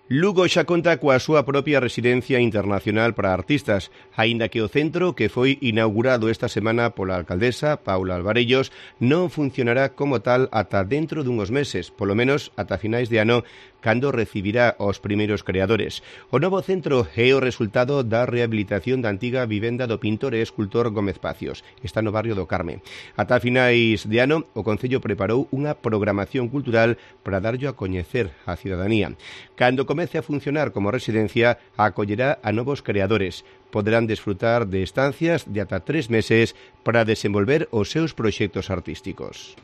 Lugo xa conta coa súa propia residencia internacional para artistas, aínda que o centro, que foi inaugurado esta semana pola alcaldesa, Paula Alvarellos, non funcionará como tal ata dentro dunhos meses, polo menos ata finais de ano, cando recibirá os primeiros creadores. O novo centro é o resultado da rehabilitación da antiga vivenda do pintor e escultor Gómez Pacios. Está no barrio do Carme. Ata finais de ano, o Concello preparou unha programación cultural para darllo a coñecer á cidadanía. Cando comece a funcionar como residencia, acollerá a novos creadores. Poderán desfrutar de estancias de ata 3 meses para desenvolver os seus proxectos artísticos.